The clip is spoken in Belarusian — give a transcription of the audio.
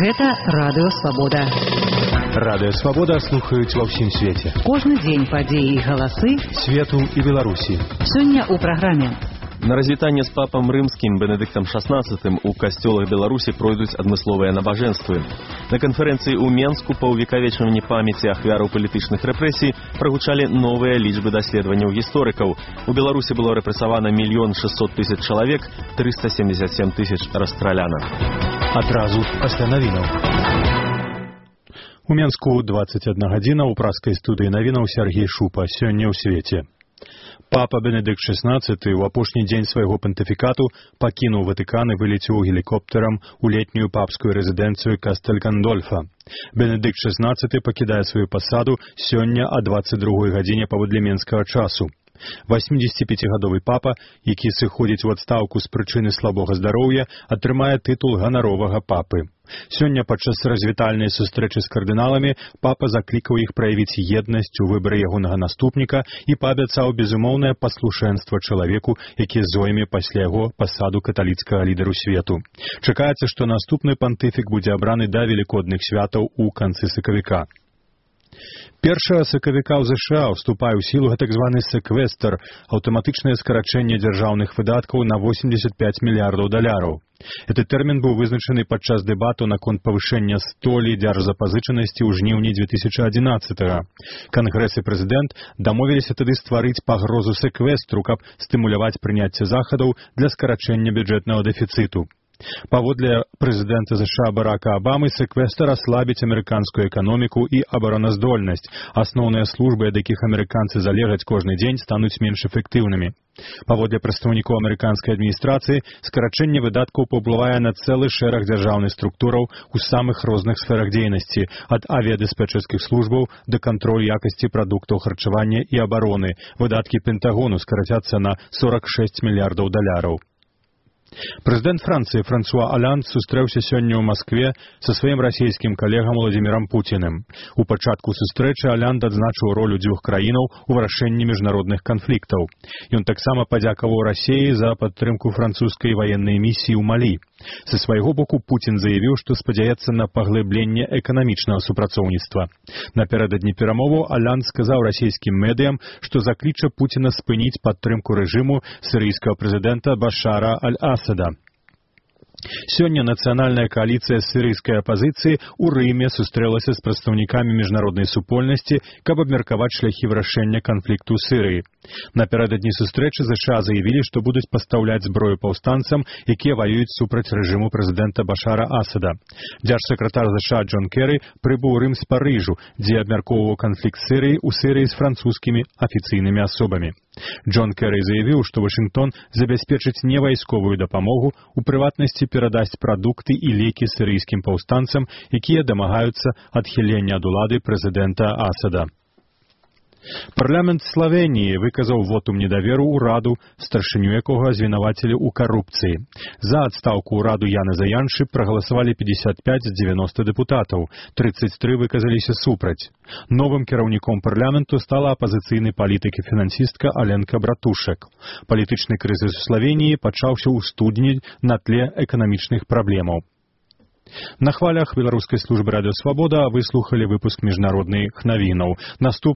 Гэта Радыё Свабода. Радыё Свабода слухаюць ва ўсім свеце. Кожны дзень падзеі і галасы свету і Беларусі. Сёння ў праграме. На развітанне з папам рымскім Бенедыктам XVI у касцёлах Беларусі пройдуць адмысловыя набажэнствы. На канферэнцыі ў Менску па ўвекавечванні памяці ахвяраў палітычных рэпрэсій прагучалі новыя лічбы даследаванняў гісторыкаў. У Беларусі было рэпрэсавана 1 600 000 чалавек, 377 000 расстраляна. Адразу пасля навінаў. У Менску 21 гадзіна ў праскай студыі навінаў Сергей Шупа. Сёння ў свеце. Папа Бенедыкт XVI у апошні дзень свайго пантыфікату пакінуў Ватыкан і вылецеў гелікоптэрам у летнюю папскую рэзідэнцыю Кастэль-Гандольфа. Бенедыкт XVI пакідае сваю пасаду сёння о 22 гадзіне паводле менскага часу. 85-гадовы папа, які сыходзіць у адстаўку з прычыны слабога здароўя, атрымае тытул ганаровага папы. Сёння падчас развітальнай сустрэчы з кардыналамі папа заклікаў іх праявіць еднасць у выбары ягонага наступніка і паабяцаў безумоўнае паслушэнства чалавеку, які зойме пасля яго пасаду каталіцкага лідару свету. Чакаецца, што наступны пантыфік будзе абраны да велікодных святаў у канцы сакавіка. 1 сакавіка ў ЗША ўступае ў сілу так званы секвестр, аўтаматычнае скарачэнне дзяржаўных выдаткаў на $85 мільярдаў. Гэты тэрмін быў вызначаны падчас дэбату наконт павышэння столі дзяржзапазычанасці ў жніўні 2011-го. Кангрэс і прэзідэнт дамовіліся тады стварыць пагрозу секвестру, каб стымуляваць прыняцце захадаў для скарачэння бюджэтнага дэфіцыту. Паводле прэзідэнта ЗША Барака Абамы, секвестр аслабіць амерыканскую эканоміку і абароназдольнасць. Асноўныя службы, ад якіх амерыканцы залежаць кожны дзень, стануць менш эфектыўнымі. Паводле прадстаўнікоў амерыканскай адміністрацыі, скарачэнне выдаткаў паўплывае на цэлы шэраг дзяржаўных структураў у самых розных сферах дзейнасці, ад авіядыспетчарскіх службаў да кантролю якасці прадуктаў харчавання і абароны. Выдаткі Пентагону скарацяцца на $46 мільярдаў. Прэзідэнт Францыі Франсуа Аланд сустрэўся сёння ў Маскве са сваім расійскім калегам Владзімірам Пуціным. У пачатку сустрэчы Аланд адзначыў ролю дзвюх краінаў у вырашэнні міжнародных канфліктаў. Ён таксама падзякаваў Расіі за падтрымку французскай ваеннай місіі ў Малі. Са свайго боку Пуцін заявіў, што спадзяецца на паглыбленне эканамічнага супрацоўніцтва. Напярэдадні перамоваў Аланд сказаў расійскім медыям, што закліча Пуціна спыніць падтрымку рэжыму сірыйскага прэзідэнта Башара аль-Асада. Сёння нацыянальная кааліцыя сірыйскай апазіцыі ў Рыме сустрэлася з прадстаўнікамі міжнароднай супольнасці, каб абмеркаваць шляхі вырашэння канфлікту ў Сірыі. Напярэдадні сустрэчы ЗША заявілі, што будуць пастаўляць зброю паўстанцам, якія ваююць супраць рэжыму прэзідэнта Башара Асада. Дзяржсакратар ЗША Джон Керры прыбыў у Рым з Парыжу, дзе абмяркоўваў канфлікт Сірыі ў Сірыі з французскімі афіцыйнымі асобамі. Джон Керры заявіў, што Вашынгтон забяспечыць невайсковую дапамогу, у прыватнасці перадасць прадукты і лекі сірыйскім паўстанцам, якія дамагаюцца адхілення ад улады прэзідэнта Асада. Парламент Славеніі выказаў вотум недаверу ўраду, старшыню якога звінавацілі ў карупцыі. За адстаўку ўраду Яны Заяншы прагаласавалі 55 з 90 дэпутатаў, 33 выказаліся супраць. Новым кіраўніком парламенту стала апазіцыйны палітык і фінансістка Аленка Братушак. Палітычны крызіс у Славеніі пачаўся ў студні на тле эканамічных праблемаў. На хвалях беларускай службы Радыё Свабода выслухалі выпуск міжнародных навінаў.